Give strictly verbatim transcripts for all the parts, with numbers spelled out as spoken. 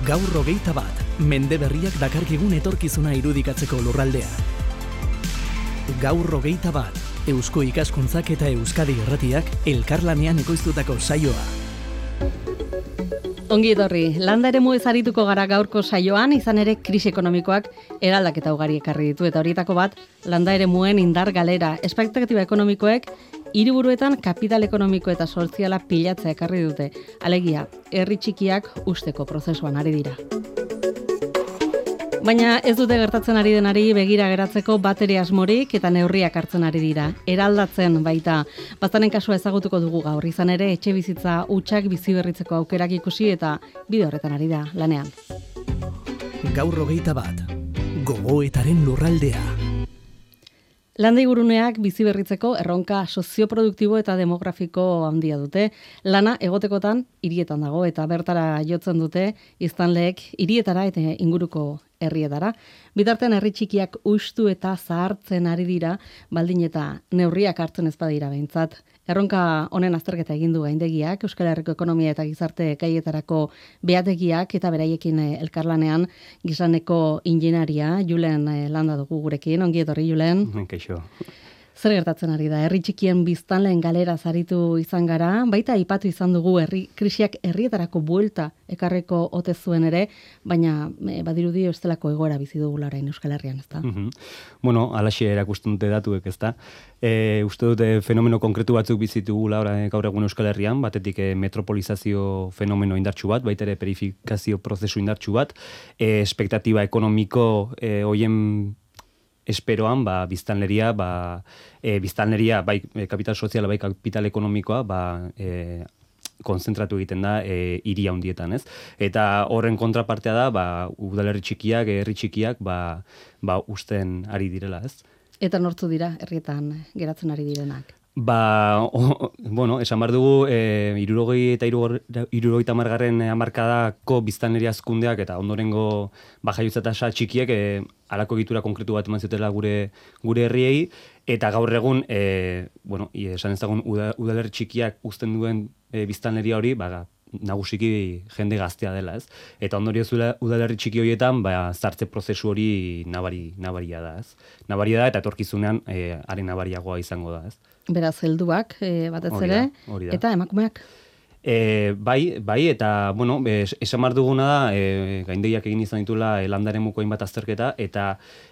Gaur hogeita bat, mende berriak dakarkigun etorkizuna irudikatzeko lurraldea. Gaur hogeita bat, Eusko Ikaskuntzak eta Euskadi Irratiak elkarlanean ekoiztutako saioa. Ongi etorri, landa eremu ezarituko gara gaurko saioan, izan ere krisi ekonomikoak eraldaketa ugari ekarri ditu, eta horietako bat, landa eremuen indar galera, espektatiba ekonomikoek hiriburuetan kapital ekonomiko eta soziala pilatzea ekarri dute. Alegia, herri txikiak usteko prozesuan ari dira. Baina ez dute gertatzen ari denari begira geratzeko batere asmorik eta neurriak hartzen ari dira. Eraldatzen baita. Baztanen kasua ezagutuko dugu gaur, izan ere etxe bizitza hutsak bizi berritzeko aukerak ikusi eta bide horretan ari da lanean. Gaur hogeita bat, gogoetaren lurraldea. Landa inguruneak bizi berritzeko erronka sozioproduktibo eta demografiko handia dute. Lana egotekotan hirietan dago eta bertara jotzen dute biztanleek hirietara eta inguruko herrietara. Bitartean herri txikiak hustu eta zahartzen ari dira, baldin eta neurriak hartzen ez badira behintzat. Erronka honen azterketa egin du gaindegiak, Euskal Herriko ekonomia eta gizarte gaietarako behategiak eta beraiekin elkarlanean gizaneko ingenieria Julen Landa dugu gurekin. Ongi etorri, Julen. Kaixo. Zer gertatzen ari da? Herri txikien biztanleen galera zaritu izan gara, baita aipatu izan dugu herri krisiak herrietarako buelta ekarreko ote zuen ere, baina e, badirudi estelako egoera bizi dugula orain Euskal Herrian, ezta? Mm-hmm. Bueno, alaxe erakusten dute datuek, ezta? E, uste dute fenomeno konkretu batzuk bizitugula gaur egun Euskal Herrian, batetik e, metropolizazio fenomeno indartsu bat, baita ere perifikazio prozesu indartsu bat, e, espektatiba ekonomiko e, hoien esperoan, ba, biztanleria, ba, e, biztanleria, bai kapital soziala, bai kapital ekonomikoa, ba, e, konzentratu egiten da e, hiri handietan, ez? Eta horren kontrapartea da, ba, udalerri txikiak, herri txikiak, ba, ba, usten ari direla, ez? Eta nortzu dira herrietan geratzen ari direnak? Ba, o, bueno, esan behar dugu, e, irurogei eta irurogeita hamargarren hamarkadako biztanleria hazkundeak eta ondorengo bajaiotza tasa txikiek e, halako egitura konkretu bat eman zutela gure gure herriei, eta gaur egun, e, bueno, esan ezagun udalerri txikiak uzten duen e, biztanleria hori, ba, nagusiki jende gaztea dela, ez? Eta ondorio zuela udalerri txiki horietan, ba, zartze prozesu hori nabari, nabaria da, ez? Nabaria da, eta etorkizunean e, haren nabariagoa izango da, ez? Beraz, helduak, e, batez ere, eta emakumeak? E, bai, bai, eta, bueno, esan behar duguna da, e, gaindegiak egin izan ditula e, landaren muko hainbat azterketa, eta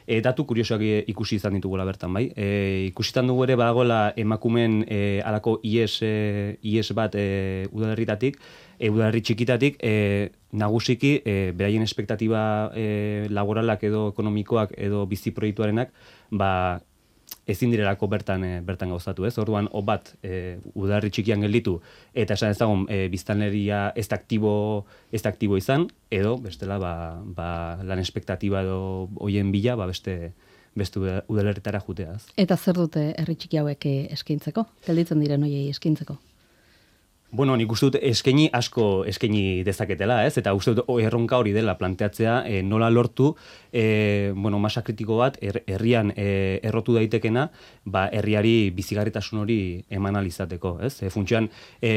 e, datu kuriosoak ikusi izan ditugula bertan, bai. E, ikusitan dugu ere badagoela emakumeen e, alako ies, e, ies bat e, udalerritatik, e, udalerri txikitatik, e, nagusiki, e, beraien espektatiba e, laboralak edo ekonomikoak edo bizi proiektuarenak, ba, ezin direlako bertan e, bertan gauzatu, ez? Orduan, o bat, e, udalerri txikian gelditu, eta esan ezagun, e, biztanleria ez da aktibo, ez da aktibo izan, edo, bestela, ba, ba, lan espektatiba edo hoien bila, ba, beste, beste udalerritara juteaz. Eta zer dute herri txiki hauek eskaintzeko? Gelditzen diren hoiei eskaintzeko? Bueno, nik uste dut eskaini asko eskaini dezaketela, ez? Eta uste dut erronka hori dela planteatzea, e, nola lortu, e, bueno, masa kritiko bat er, herrian e, errotu daitekena, ba, herriari bizigarritasun hori eman alizateko, ez? E, Funtsean, e,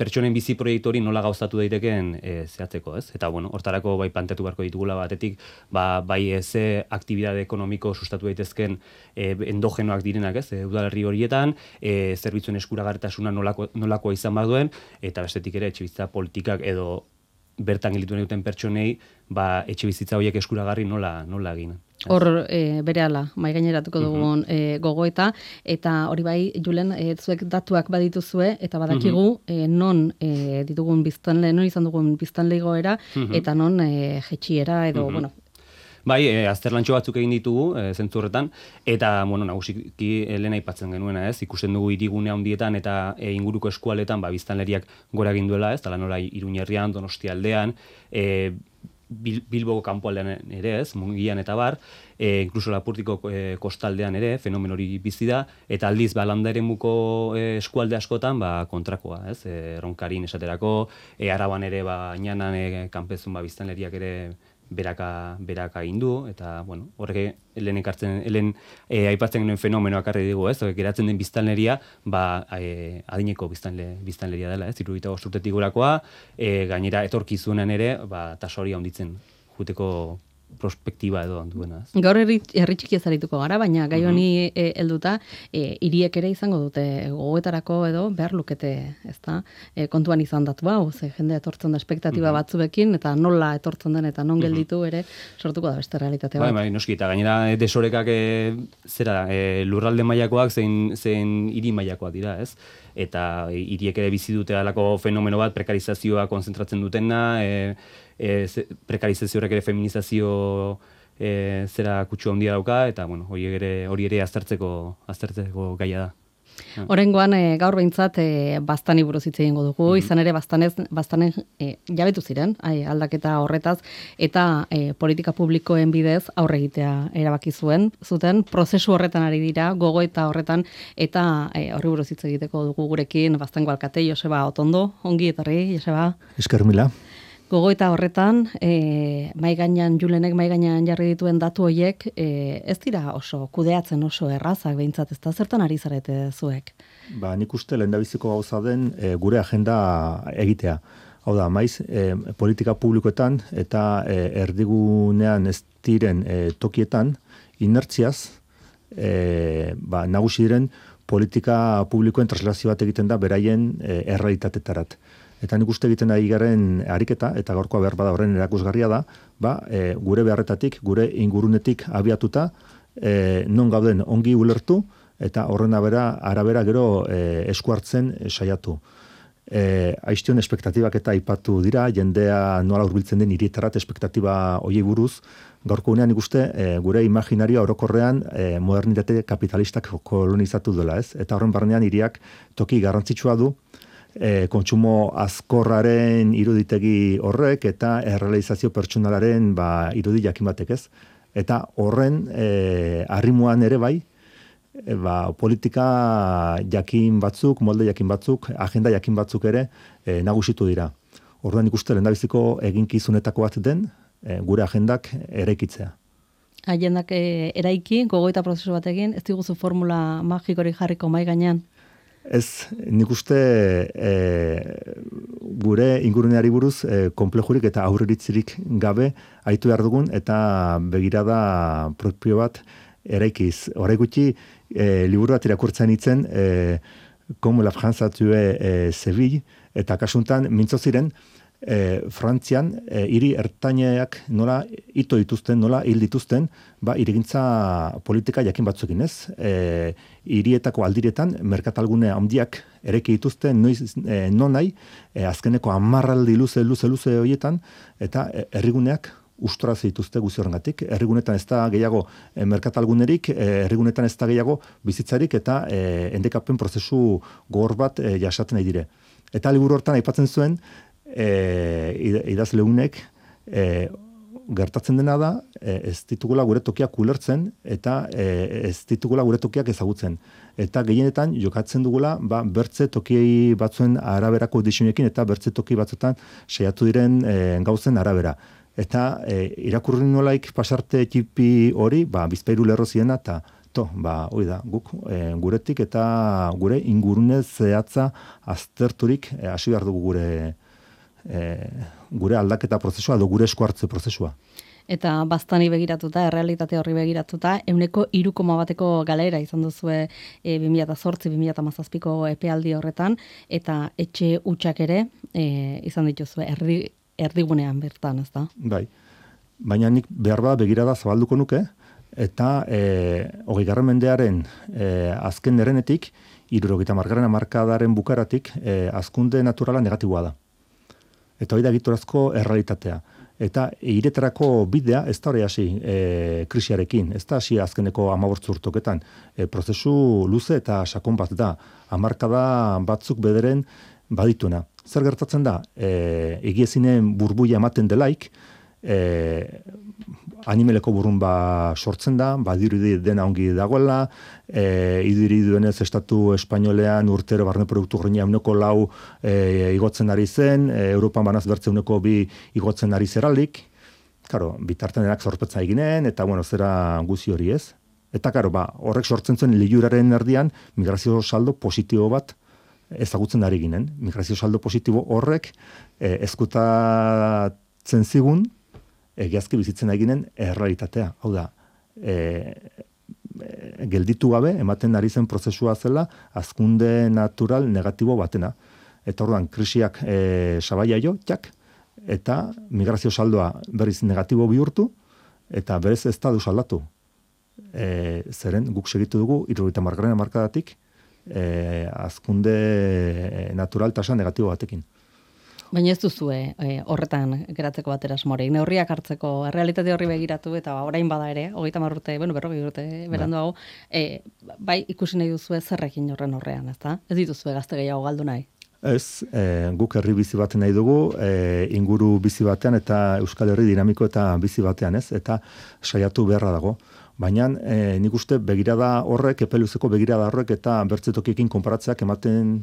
pertsonen bizi proiektu hori nola gauzatu daitekeen e, zehatzeko, ez? Eta, bueno, hortarako bai planteatu beharko ditugula batetik, ba, bai ze aktibidade ekonomiko sustatu daitezken e, endogenoak direnak, ez? E, udalerri horietan, e, zerbitzuen eskuragarritasuna nolako, nolakoa izan baduen, eta bestetik ere etxebizitza politikak edo bertan gelditu nahi duten pertsonei, ba, etxebizitza horiek eskuragarri nola, nola egin. Hor e, berehala, mai gaineratuko dugun e, gogoeta, eta hori bai, Julen, e, zuek datuak badituzue, eta badakigu e, non e, ditugun biztanle, non izan dugun biztanle igoera, eta non e, jetxiera, edo, bueno, Bai, e, azterlantxo batzuk egin ditugu, e, zentzu horretan, eta, bueno, nagusiki lehen aipatzen genuena, ez, ikusten dugu hirigune handietan eta e, inguruko eskualetan, ba, biztanleriak gora egin duela, ez, tala nola Iruñerrian, Donostialdean, e, Bil, Bilboko kanpoaldean ere, ez, Mungian eta bar, e, inkluso Lapurtiko e, kostaldean ere, fenomen hori bizi da, eta aldiz, ba, landa eremuko e, eskualde askotan, ba, kontrakoa, ez, e, Ronkarin esaterako, e, Araban ere, ba, Inanan, e, kanpezun, ba, biztanleriak ere beraka, beraka indu, eta, bueno, horrek helen ekartzen, helen e, aipatzen genuen fenomenoak arri digu, ez? Geratzen den biztanleria, ba, e, adineko biztanle, biztanleria dela, ez? Hirurogeita bost urtetik gorakoa, e, gainera etorkizunean ere, ba, tasa hori handitzen juteko prospektiba edo duena. Gaur herri txiki ezarituko gara, baina gai honi e, helduta, e, hiriek ere izango dute gogoetarako edo behar lukete, ezta? E, kontuan izan datu hau, ze jende etortzen da espektatiba uh-huh. batzuekin, eta nola etortzen den eta non gelditu ere sortuko da beste realitate bat. Bai, bai, noski, eta gainera desorekak e, zera, e, lurralde mailakoak zein, zein hiri mailakoak dira, ez? Eta hiriek ere bizi dute alako fenomeno bat, prekarizazioa konzentratzen dutena, e, E, prekarizazio horrek ere feminizazio e, zera kutsu handia dauka, eta bueno, hori ere, hori ere aztertzeko, aztertzeko gaia da. Oraingoan e, gaur behintzat e, Baztani buruz hitz egingo dugu, mm-hmm. izan ere Baztanez, Baztanen e, jabetu ziren, ai, aldaketa horretaz, eta e, politika publikoen bidez aurre egitea erabaki zuen, zuten prozesu horretan ari dira, gogoeta horretan, eta e, horri buruz hitz egiteko dugu gurekin Baztango alkate Joseba Otondo, ongi etorri, Joseba. Esker mila. Gogoeta horretan, e, mai gainean Julenek mai gainean jarri dituen datu horiek, e, ez dira oso kudeatzen oso errazak behintzat, ez da zertan ari zarete zuek? Ba, nik uste lehendabiziko gauza den e, gure agenda egitea. Hau da, maiz, e, politika publikoetan eta e, erdigunean ez diren e, tokietan, inertziaz, e, ba, nagusi diren politika publikoen traslazio bat egiten da beraien e, errealitatetarat. Eta nik uste egiten ari garen ariketa, eta gaurkoa behar bada horren erakusgarria da, ba, e, gure beharretatik, gure ingurunetik abiatuta, e, non gauden ongi ulertu, eta horren arabera, arabera gero e, esku hartzen e, saiatu. E, Aiztion espektatibak eta aipatu dira, jendea nola hurbiltzen den hirietarat espektatiba hoiei buruz, gaurko unean ikuste e, gure imaginarioa orokorrean e, modernitate kapitalistak kolonizatu dela, ez? Eta horren barnean hiriak toki garrantzitsua du, E, kontsumo azkorraren iruditegi horrek eta errealizazio pertsonalaren ba, irudi jakin batek, ez? Eta horren e, arrimuan ere bai, e, ba, politika jakin batzuk, molde jakin batzuk, agenda jakin batzuk ere e, nagusitu dira. Orduan ikuste lehendabiziko eginkizunetako bat den e, gure agendak eraikitzea. Agendak e, eraiki, gogoeta prozesu batekin, ez diguzu formula magikori jarriko mai gainean? Ez, nik uste e, gure inguruneari buruz e, konplejurik eta aurreritzirik gabe aitu behar dugun eta begirada propio bat eraikiz. Horrek gutxi, e, liburu bat irakurtzen itzen, e, Como la France a tué e, Seville, eta kasuntan mintzo ziren, E, Frantzian, e, hiri ertaineak nola ito dituzten, nola hil dituzten, ba, irigintza politika jakin batzukin, ez? E, hirietako aldiretan, merkatalgune handiak ereki dituzten, noiz, e, non nahi, e, azkeneko amarraldi luze, luze, luze horietan, eta e, herriguneak ustora dituzte guzi horrengatik. Herrigunetan ez da gehiago e, merkatalgunerik, e, herrigunetan ez da gehiago bizitzarik, eta e, endekapen prozesu gogor bat e, jasaten nahi dire. Eta liburu hortan aipatzen zuen, E, idazleunek e, gertatzen dena da e, ez ditugula gure tokiak ulertzen eta e, ez ditugula gure tokiak ezagutzen. Eta gehienetan jokatzen dugula ba, bertze toki batzuen araberako diseinekin eta bertze toki batzuetan saiatu diren e, gauzen arabera. Eta e, irakurri nolaik pasarte txipi hori, ba, Bizpahiru lerro ziena eta to, ba, hori da, guk e, guretik eta gure ingurune zehatza azterturik e, hasi behar dugu gure E, gure aldaketa prozesua edo gure esku hartze prozesua. Eta Baztani begiratuta, errealitate horri begiratuta, ehuneko hiru koma bateko galera izan duzue e, bi mila zortzi bi mila hamazazpiko epealdi horretan, eta etxe hutsak ere e, izan dituzue erdi, erdigunean bertan, ez da? Bai, baina nik behar bada begirada zabalduko nuke, eta e, hogeigarren mendearen e, azken erenetik, hirurogeita hamargarren hamarkadaren bukaratik, e, hazkunde naturala negatiboa da. Eta hori da egiturazko errealitatea. Eta hiretarako bidea ez da hori hasi e, krisiarekin, ez da hasi azkeneko hamabost urteetan. E, prozesu luze eta sakon bat da. Hamarkada batzuk bederen badituena. Zer gertatzen da? E, egiezinen burbuia ematen delaik, e, animeleko burrunba sortzen da, badirudi dena ongi dagoela, e, idiri duenez estatu espainolean urtero barne produktu gordina euneko lau e, igotzen ari zen, e, Europan banaz bertze euneko bi igotzen ari zeralik, Karo, bitartenenak zorpetza eginen, eta bueno, zera guzi hori ez. Eta karo, ba, horrek sortzen zuen liluraren erdian migrazio saldo positibo bat ezagutzen ari ginen. Migrazio saldo positibo horrek eh, ezkutatzen zigun egiazki bizitzen ari ginen errealitatea. Hau da, eh, gelditu gabe ematen ari zen prozesua zela hazkunde natural negatibo batena. Eta orduan, krisiak eh, sabaia jo, txak, eta migrazio saldoa berriz negatibo bihurtu, eta berez ez da du saldatu. E, zeren guk segitu dugu, hirurogeita hamargarren hamarkadatik, e, hazkunde natural tasa negatibo batekin. Baina ez duzue e, horretan geratzeko batera asmorik, neurriak hartzeko, errealitate horri begiratu, eta orain bada ere, hogeita hamar urte, bueno, berrogei urte beranduago, e, bai ikusi nahi duzue zerrekin horren horrean, ezta? Ez dituzue gazte gehiago galdu nahi? Ez, e, guk herri bizi baten nahi dugu, e, inguru bizi batean eta Euskal Herri dinamiko eta bizi batean, ez? Eta saiatu beharra dago. Baina e, nik uste begirada horrek, epeluzeko begirada horrek eta bertzetokiekin konparatzeak ematen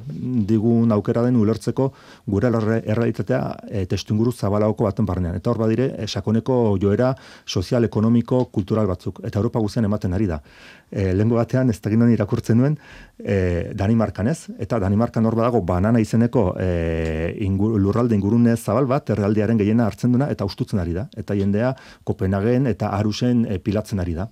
digun aukera den ulertzeko gure errealitatea e, testuinguru zabalagoko baten barnean. Eta hor badire, e, sakoneko joera sozial, ekonomiko, kultural batzuk. Eta Europa guztian ematen ari da. E, lehengo batean, ez dakinan irakurtzen nuen, e, Danimarkan ez, eta Danimarkan hor badago banana izeneko e, ingur, lurralde ingurune zabal bat, errealdiaren gehiena hartzen duna, eta ustutzen ari da. Eta jendea Kopenhagen eta Arusen e, pilatzen ari da.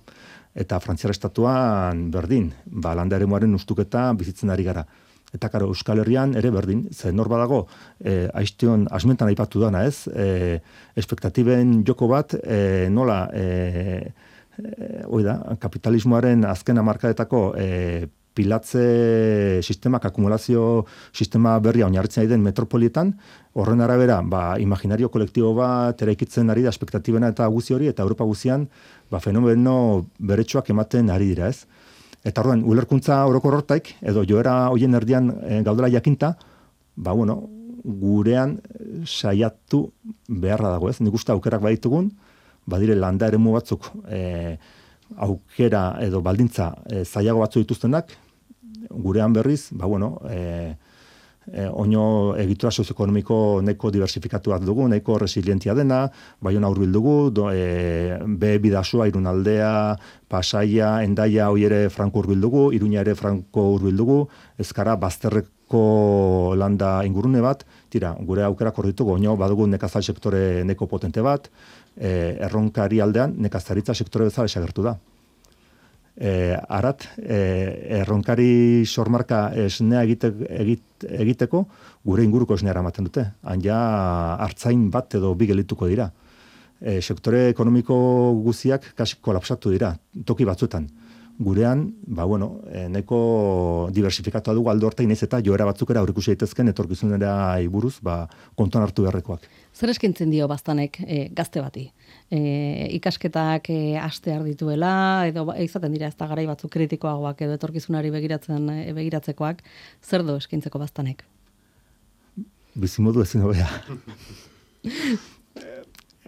Eta Frantziar estatuan berdin, ba, landa eremuaren ustuketa bizitzen ari gara. Eta karo, Euskal Herrian ere berdin, ze nor badago, e, aiztion, asmentan aipatu dana ez, e, espektatiben joko bat, e, nola, e, e, oida, kapitalismoaren azken hamarkadetako e, pilatze sistemak, akumulazio sistema berria oinarritzen ari den metropolietan, horren arabera, ba, imaginario kolektibo bat eraikitzen ari da espektatibena eta guzi hori, eta Europa guzian, ba, fenomeno beretsuak ematen ari dira, ez? Eta orduan, ulerkuntza orokor hortaik, edo joera hoien erdian e, gaudela jakinta, ba, bueno, gurean saiatu beharra dago, ez? Nik uste aukerak baditugun, badire landa eremu batzuk e, aukera edo baldintza e, zailago batzu dituztenak, gurean berriz, ba, bueno, e, e, oino egitura sozioekonomiko nahiko diversifikatu bat dugu, nahiko resilientia dena, Baiona hurbil dugu, do, e, be bidasua, Irunaldea, Pasaia, Hendaia hoi ere franko hurbil dugu, Iruña ere franko hurbil dugu, ezkara bazterreko landa ingurune bat, tira, gure aukera korditugu, oino badugu nekazal sektore neko potente bat, e, erronkari aldean nekazaritza sektore bezala esagertu da. E, arat, e, erronkari sormarka esnea egite, egit, egiteko gure inguruko esnea eramaten dute. Han ja hartzain bat edo bi gelituko dira. E, sektore ekonomiko guziak kasi kolapsatu dira, toki batzuetan. Gurean, ba bueno, e, neko diversifikatu dugu aldo horta inaiz eta joera batzukera aurrikusi daitezken etorkizunera buruz, ba kontuan hartu beharrekoak. Zer eskintzen dio Baztanek e, gazte bati? E, ikasketak e, astear dituela, edo izaten dira ez da garai batzuk kritikoagoak edo etorkizunari begiratzen e, begiratzekoak, zer do eskintzeko Baztanek? Bizimodu ezin hobea.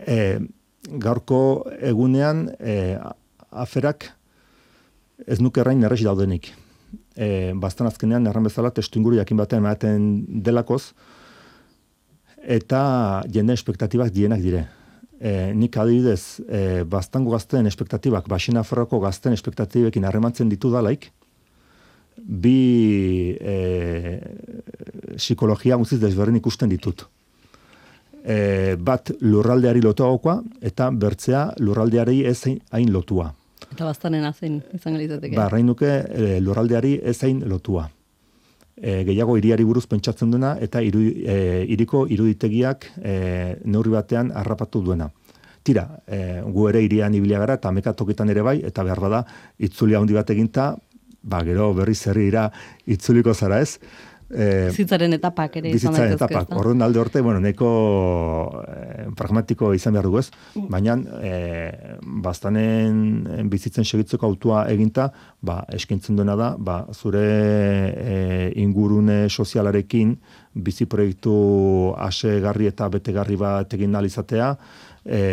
e, gaurko egunean e, aferak ez nuke errain erresi daudenik. E, Baztan azkenean erran bezala testuinguru jakin batean ematen delakoz, eta jende espektatibak dienak dire. E, nik adibidez, e, Baztango gazten espektatibak, Baxena Ferroko gazten espektatibekin harremantzen ditu dalaik, bi e, psikologia guztiz desberdin ikusten ditut. E, bat lurraldeari lotuagokoa, eta bertzea lurraldeari ez hain lotua. Eta Baztanen zein izango litzateke? Ba, arrain nuke e, lurraldeari ez hain lotua. E, gehiago hiriari buruz pentsatzen duena eta iru, e, iriko iruditegiak e, neurri batean harrapatu duena. Tira, e, gu ere hirian ibilia gara eta mekatokitan ere bai, eta behar bada itzulia handi bat eginta, ba, gero berriz herrira itzuliko zara ez. E, bizitzaren etapak ere izan daitezke. Bizitzaren etapak. Orduan alde horte, bueno, neko e, pragmatiko izan behar dugu ez, baina e, Baztanen bizitzen segitzeko autua eginta, ba, eskintzen duena da, ba, zure e, ingurune sozialarekin bizi proiektu asegarri eta betegarri bat egin ahal izatea, e,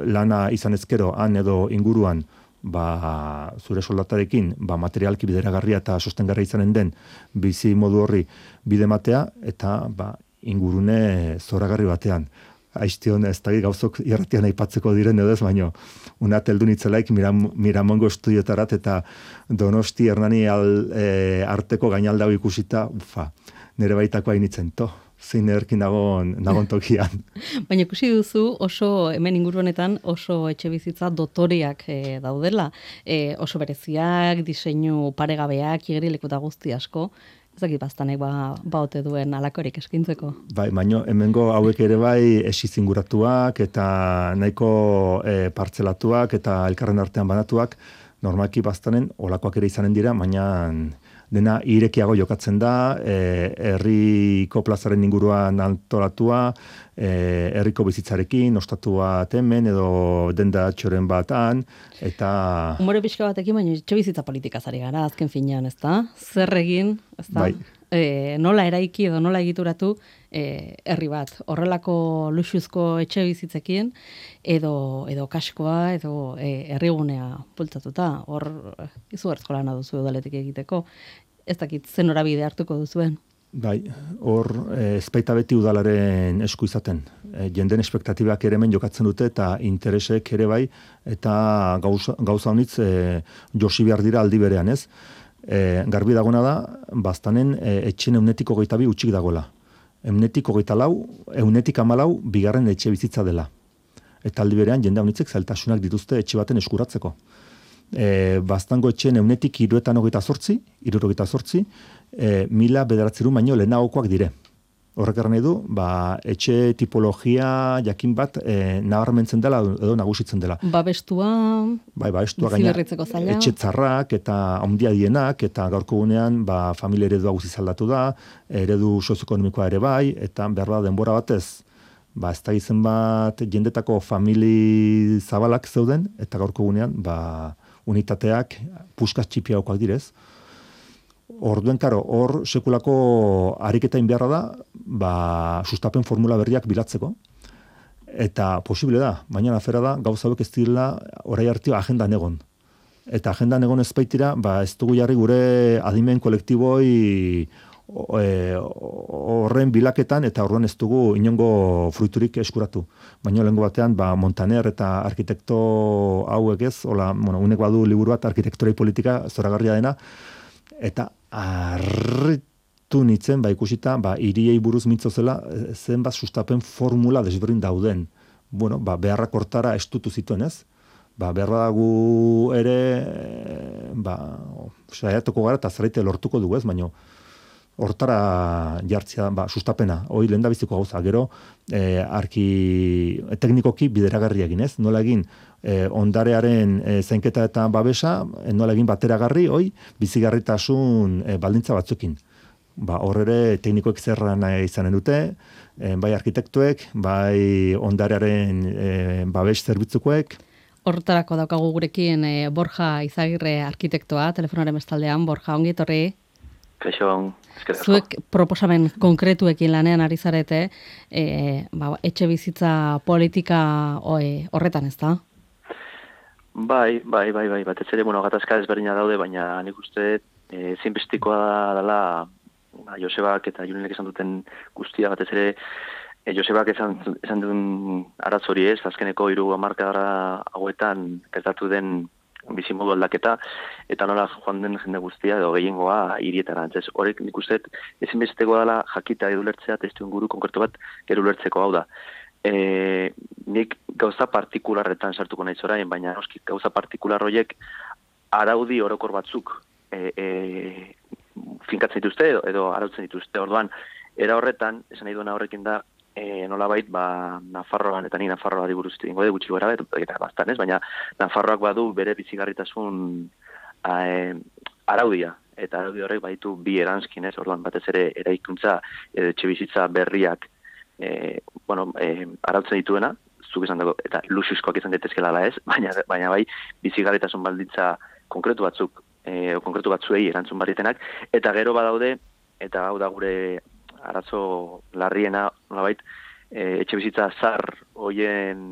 lana izan ezkero han edo inguruan, ba, zure soldatarekin ba, materialki bideragarria eta sostengarria izanen den bizi modu horri bide matea eta ba, ingurune zoragarri batean. aiztion ez da gauzok irratian aipatzeko diren edo ez, baino una teldu nitzelaik Miram, Miramongo estudiotarat eta Donosti Hernani al, e, arteko gainaldau ikusita, ufa, nire baitako hainitzen, to, zein erkin nagon, nagon tokian. Baina ikusi duzu oso, hemen inguru honetan, oso etxe bizitza dotoreak e, daudela, e, oso bereziak, diseinu paregabeak, igerileku eta guzti asko, ezakit baztanek ba, baote duen alakorik eskintzeko. Bai, baino hemengo hauek ere bai esizinguratuak eta nahiko e, partzelatuak eta elkarren artean banatuak, normalki baztanen olakoak ere izanen dira, baina dena irekiago jokatzen da, e, herriko plazaren inguruan antolatua, e, herriko bizitzarekin, ostatua hemen edo denda txoren batan, eta... Humore pixka batekin, baina etxe bizitza politikaz ari gara, azken finean, ezta? Zer egin, ezta? Bai. E, nola eraiki edo nola egituratu e, herri bat. Horrelako luxuzko etxe bizitzekin, edo, edo kaskoa, edo e, herrigunea bultzatuta. Hor, izugarrizko lana duzu udaletik egiteko. Ez dakit zen norabide hartuko duzuen. Bai, hor e, ezpaita beti udalaren esku izaten. E, jenden espektatibak ere hemen jokatzen dute eta interesek ere bai, eta gauza, gauza honitz e, josi behar dira aldi berean, ez? E, garbi dagona da, baztanen e, etxen eunetik hogeita bi utxik dagoela. Eunetik hogeita lau, eunetik amalau, bigarren etxe bizitza dela. Eta aldi berean jende honitzek zailtasunak dituzte etxe baten eskuratzeko. E, baztango etxen eunetik iruetan hogeita zortzi, irurogeita zortzi, e, mila bederatzeru baino lehenagokoak dire. Horrek erran nahi du, ba, etxe tipologia jakin bat e, nabarmentzen dela edo nagusitzen dela. Babestua, bai, babestua gaina, zaila. Etxe txarrak eta handia dienak, eta gaurko gunean ba, familia eredua guziz aldatu da, eredu sozioekonomikoa ere bai, eta behar da denbora batez, ba, ez da izen bat jendetako famili zabalak zeuden, eta gaurko gunean, ba, unitateak puskaz txipiagokoak direz. Orduen, karo, hor sekulako ariketain beharra da, ba, sustapen formula berriak bilatzeko. Eta posible da, baina afera da, gauza hauek ez direla orai hartio agendan egon. Eta agendan egon ez baitira, ba, ez dugu jarri gure adimen kolektiboi horren bilaketan, eta orduan ez dugu inongo fruiturik eskuratu. Baina lehengo batean, ba, Montaner eta arkitekto hauek ez, hola, bueno, unek badu liburu bat arkitekturai politika zoragarria dena, eta harritu nitzen, ba, ikusita, ba, hiriei buruz mintzo zela, zenbat sustapen formula desberdin dauden. Bueno, ba, beharrak hortara estutu zituen ez. Ba, beharra dagu ere, ba, saiatuko gara eta zerraite lortuko dugu ez, baina hortara jartzea, ba, sustapena, hoi lehen da biziko gauza, gero, e, arki, teknikoki bideragarri egin, ez? Nola egin, e, ondarearen e, zainketa eta babesa, e, nola egin bateragarri, hoi, bizigarritasun e, baldintza batzukin. Ba, hor ere, teknikoek zerra nahi izanen dute, e, bai arkitektuek, bai ondarearen e, babes zerbitzukoek. Hortarako daukagu gurekin e, Borja Izagirre arkitektoa, telefonaren bestaldean. Borja, ongi etorri. Kaixo, zuek proposamen konkretuekin lanean ari zarete, e, ba, etxe bizitza politika oe, horretan ez da? Bai, bai, bai, bai, batez ere, bueno, gatazka ezberdina daude, baina nik uste e, zinbestikoa dela ba, Josebak eta Julenek esan duten guztia, batez ere e, Josebak esan, esan duen aratzori ez, azkeneko hiru hamarkada hauetan gertatu den bizimodu aldaketa, eta nola joan den jende guztia, edo gehiengoa hirietara. Ez horrek nik uste ezinbestekoa dela jakita edo ulertzea, testu inguru konkretu bat gero ulertzeko hau da. E, nik gauza partikularretan sartuko nahi zorain, baina noski gauza partikular horiek araudi orokor batzuk e, e, finkatzen dituzte edo, edo arautzen dituzte. Orduan, era horretan, esan nahi duena horrekin da, E, nolabait, ba, Nafarroan, eta ni Nafarroa diburuz egingo de, gutxi gara, eta bastan ez, baina Nafarroak badu bere bizigarritasun a, e, araudia, eta araudi horrek baditu bi eranskin, ez, orduan batez ere eraikuntza, etxe bizitza berriak, e, bueno, e, arautzen dituena, zuk esan dago, eta luxuzkoak izan daitezkela ez, baina, baina bai, bizigarritasun baldintza konkretu batzuk, e, konkretu batzuei erantzun barritenak, eta gero badaude, eta hau da gure arazo larriena, nolabait, e, etxe bizitza zar hoien,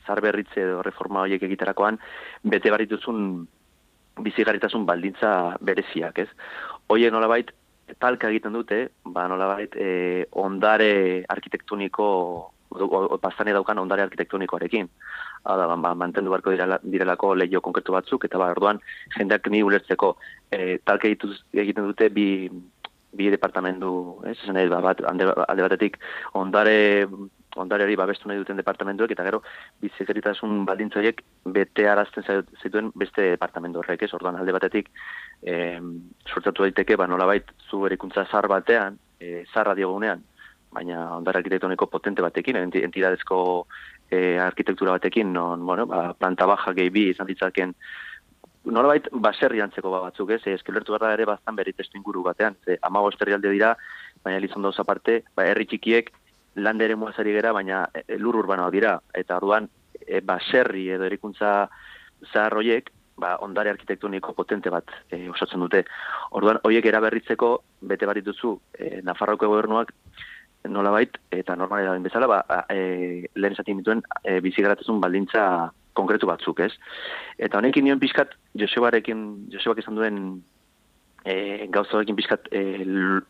zar berritze edo reforma horiek egiterakoan, bete barituzun bizigarritasun baldintza bereziak, ez? Hoiek nolabait, talka egiten dute, ba nolabait, e, ondare arkitektoniko Baztane daukan ondare arkitektonikoarekin. Hala, ba, mantendu beharko direla, direlako leio konkretu batzuk, eta ba, orduan, jendeak ni ulertzeko, e, talke egiten dute bi, bi departamendu, ez? Esan ba, bat, alde batetik, ondare, ondareari babestu nahi duten departamentuek, eta gero, bizikeritasun baldintzoiek bete arazten zituen beste departamendu horrek, ez? Orduan, alde batetik, e, sortzatu daiteke, ba, nolabait, zu erikuntza zar batean, e, zarra diogunean, baina ondare arkitektoniko potente batekin, entidadezko e, arkitektura batekin, non, bueno, ba, planta baja gehi bi izan ditzaken, nolabait baserri antzeko batzuk, ez? Eskelertu behar da ere baztan bere testu inguru batean, ze amago esterrialde dira, baina Elizondo aparte, ba, herri txikiek lande ere muazari gera, baina e, lur urbanoak dira, eta orduan e, baserri edo erikuntza zaharroiek, ba, ondare arkitektoniko potente bat e, osatzen dute. Orduan, horiek eraberritzeko, bete bat dituzu, e, Nafarroko gobernuak, nolabait, eta normalera den bezala, ba, e, lehen esatik dituen e, bizigaratezun baldintza konkretu batzuk, ez? Eta honekin nion pixkat, Josebarekin, Josebak izan duen e, gauzarekin pixkat e, l,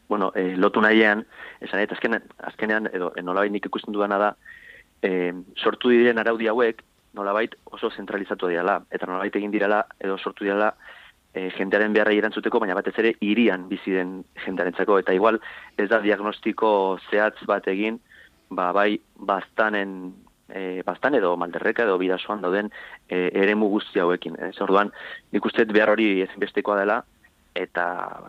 bueno, e, lotu nahian, esan, eta azkenean, azkenean edo e, nolabait nik ikusten dudana da, e, sortu diren araudi hauek, nolabait oso zentralizatu direla, eta nolabait egin direla, edo sortu direla, E, jendearen beharra erantzuteko, baina batez ere hirian bizi den jendearentzako, eta igual ez da diagnostiko zehatz bat egin, ba, bai baztanen, e, baztan edo Malderreka edo Bidasoan dauden e, eremu guzti hauekin. Ez orduan, nik uste behar hori ezinbestekoa dela, eta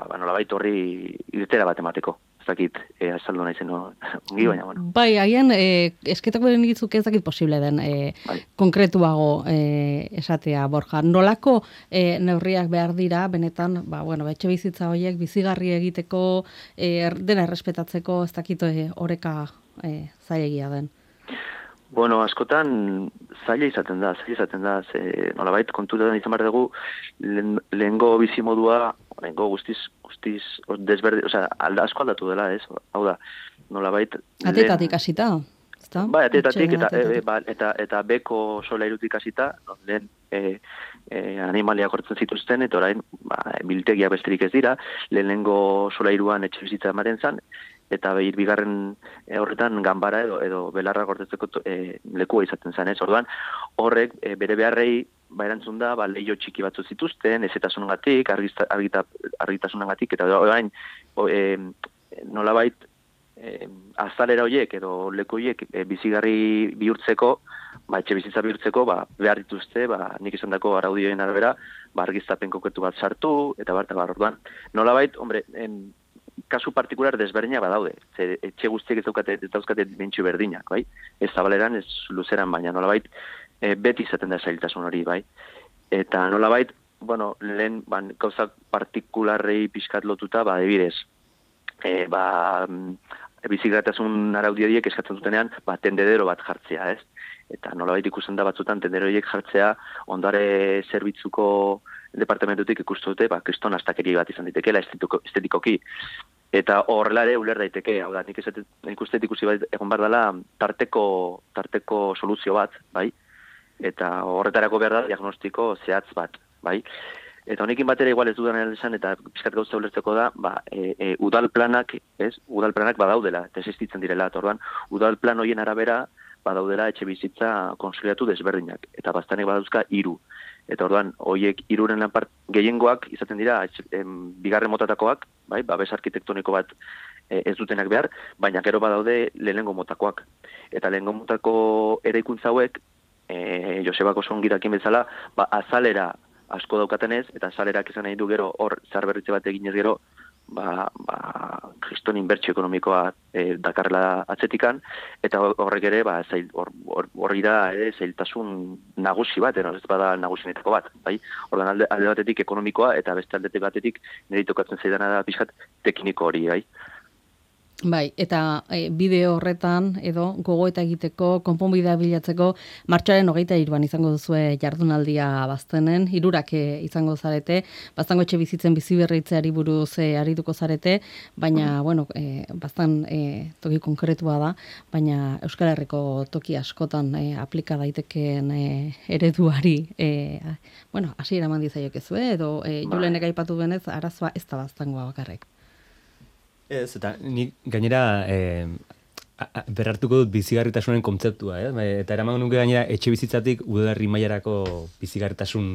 ba, nolabait horri irtera bat emateko. Ez dakit, e, azaldu nahi zen, no? Ongi, baina, bueno. Bai, haien, e, esketako den ditzuk ez dakit posible den, e, bai. Konkretuago e, esatea, Borja. Nolako e, neurriak behar dira, benetan, ba, bueno, etxe bizitza horiek, bizigarri egiteko, e, dena errespetatzeko, ez dakit e, oreka e, zailegia den. Bueno, askotan zaila izaten da, zaila izaten da, ze nolabait kontutan izan behar dugu, lehengo bizimodua, lehengo guztiz, guztiz desberde, osea, alda asko aldatu dela, ez? Hau da, nolabait... Atetatik hasita, ezta? Bai, atetatik eta, e, ba, eta, eta beko solairutik hasita, no, lehen e, e, animaliak hortzen zituzten, eta orain ba, biltegia besterik ez dira, lehenengo solairuan etxe bizitza ematen zan, eta behir bigarren e, horretan ganbara edo, edo belarra gortetzeko e, lekua izaten zen, ez? Orduan, horrek e, bere beharrei ba erantzun da, ba, leio txiki batzu zituzten, ezetasunengatik, argitasunengatik, eta orain e, nolabait e, azalera horiek edo leku horiek e, bizigarri bihurtzeko, ba, etxe bizitza bihurtzeko, ba, behar dituzte, ba, nik izan dako araudioen arabera, ba, argiztapen konkretu bat sartu, eta bar, eta bar, orduan, nolabait, hombre, en, kasu partikular desberdina badaude. Ze etxe guztiek ez daukate, ez dauzkate dimentsio berdinak, bai? Ez zabaleran, ez luzeran, baina nolabait e, beti izaten da zailtasun hori, bai? Eta nolabait, bueno, lehen ban, gauzak partikularrei pixkat lotuta, ba, debidez, e, ba, bizigaratasun araudiadiek eskatzen dutenean, ba, tendedero bat jartzea, ez? Eta nolabait ikusten da batzutan tendedoroiek jartzea ondare zerbitzuko departamentutik ikustu dute, ba, kriston astakeri bat izan daitekela estetikoki. Eta horrela ere uler daiteke, hau da, nik ikuste ikusi bat egon behar dela tarteko, tarteko soluzio bat, bai? Eta horretarako behar da diagnostiko zehatz bat, bai? Eta honekin batera igual ez dudan esan, eta pixkat gauza ulertzeko da, ba, e, e, udal planak, ez? Udal planak badaudela, eta existitzen direla, eta orduan, udal plan hoien arabera, badaudela etxe bizitza konsoliatu desberdinak, eta baztanek badauzka hiru. Eta orduan, hoiek hiruren lanpart gehiengoak izaten dira em, bigarren motatakoak, bai, babes arkitektoniko bat e, ez dutenak behar, baina gero badaude lehenengo motakoak. Eta lehenengo motako eraikuntza hauek, e, Josebako zongirakin bezala, ba, azalera asko daukatenez, eta azalerak izan nahi du gero hor zarberritze bat eginez gero, ba, ba, kriston inbertsio ekonomikoa e, dakarla atzetikan, eta horrek ere, ba, zail, hor, hor, horri da, ere, zailtasun nagusi bat, ero, ez bada nagusinetako bat, bai? Ordan alde, alde batetik ekonomikoa, eta beste aldetik batetik nire tokatzen zaidana da pixkat tekniko hori, bai? Bai, eta e, bideo horretan edo gogoeta egiteko, konponbidea bilatzeko martxoaren hogeita hiruan izango duzue jardunaldia baztenen, hirurak e, izango zarete, baztango etxe bizitzen bizi berritzeari buruz e, arituko zarete, baina, bueno, e, baztan e, toki konkretua da, baina Euskal Herriko toki askotan e, aplika daitekeen e, ereduari, e, bueno, hasi eraman dizaiokezue, edo e, Julenek aipatu benez, arazoa ez da baztangoa bakarrek. Ez, eta ni gainera e, berrartuko dut bizigarritasunen kontzeptua, eh? Eta eraman nuke gainera etxe bizitzatik udalerri mailarako bizigarritasun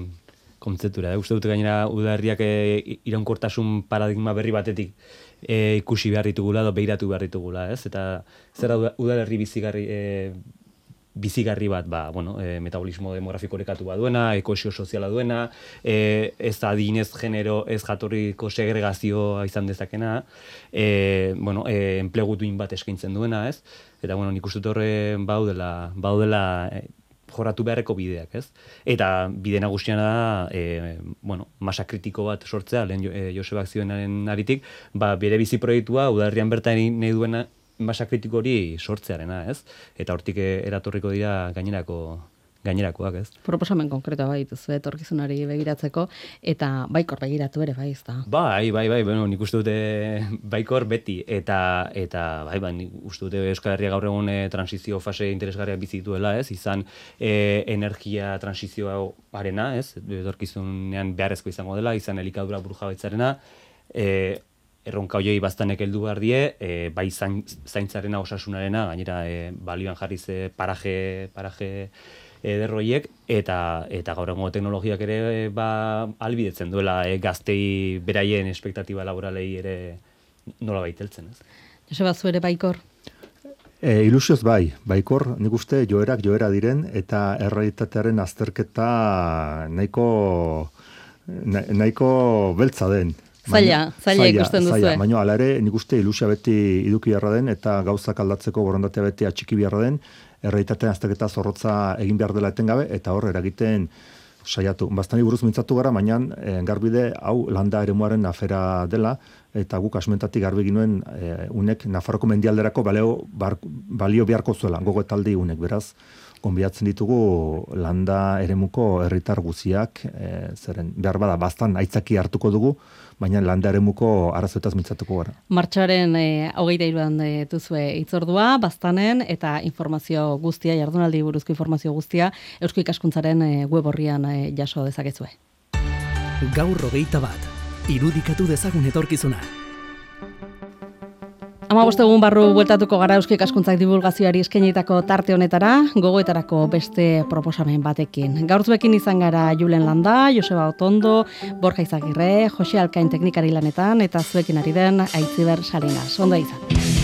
kontzeptura. Eh? Uste dut gainera udalerriak e, iraunkortasun paradigma berri batetik e, ikusi behar ditugula, edo behiratu behar ditugula, ez? Eta zer da udalerri bizigarri, e, bizigarri bat, ba, bueno, e, metabolismo demografiko orekatu bat duena, ekoesio soziala duena, e, ez adinez genero, ez jatorriko segregazioa izan dezakena, e, bueno, e, enplegu duin bat eskaintzen duena, ez? Eta, bueno, nik uste dut horre baudela, baudela e, jorratu beharreko bideak, ez? Eta bide nagusiana da, e, bueno, masa kritiko bat sortzea, lehen jo, e, Josebak zioenaren aritik, ba, bere bizi proiektua, udalerrian bertan nahi duena masa kritiko hori sortzearena, ez? Eta hortik eratorriko dira gainerako gainerakoak, ez? Proposamen konkretoa bai dituzu etorkizunari begiratzeko eta baikor begiratu ere bai, ezta. Bai, bai, bai, bueno, nik uste dute baikor beti eta eta bai, bai, nik uste dute Euskal Herria gaur egun e, transizio fase interesgarriak bizi dituela, ez? Izan e, energia transizioarena, ez? Etorkizunean beharrezko izango dela, izan elikadura burujabaitzarena, eh erronka hoiei baztanek heldu behar die, e, bai zain, zaintzarena, osasunarena, gainera e, balioan jarri ze paraje, paraje ederroiek, eta, eta gaur egungo teknologiak ere e, ba, albidetzen duela e, gaztei beraien espektatiba laboralei ere nola baiteltzen, ez? Joseba, zu ere baikor? E, ilusioz bai, baikor, nik uste joerak joera diren, eta errealitatearen azterketa nahiko, nahiko beltza den. Zaila, zaila ikusten duzu. Baina ala ere, nik uste ilusia beti iduki beharra den, eta gauzak aldatzeko borondatea beti atxiki beharra den, errealitatean azterketa zorrotza egin behar dela etengabe, eta hor eragiten saiatu. Bastani buruz mintzatu gara, baina e, garbide hau landa eremuaren afera dela, eta guk asmentatik garbi ginuen e, unek Nafarroko mendialderako balio, bar, balio beharko zuela, gogoetaldi unek, beraz, gonbidatzen ditugu landa eremuko herritar guziak, e, zeren behar bada bastan aitzaki hartuko dugu, baina landa eremuko arazoetaz mintzatuko gara. Martxoaren e, hogeita hiruan e, duzue hitzordua, bastanen, eta informazio guztia, jardunaldi buruzko informazio guztia, Eusko Ikaskuntzaren e, web orrian e, jaso dezakezue. Gaur hogeita bat, irudikatu dezagun etorkizuna. Hamabost egun barru bueltatuko gara Eusko Ikaskuntzak divulgazioari eskainitako tarte honetara, gogoetarako beste proposamen batekin. Gaur zuekin izan gara Julen Landa, Joseba Otondo, Borja Izagirre, Jose Alkain teknikari lanetan, eta zuekin ari den Aitziber Salinas. Ondo izan.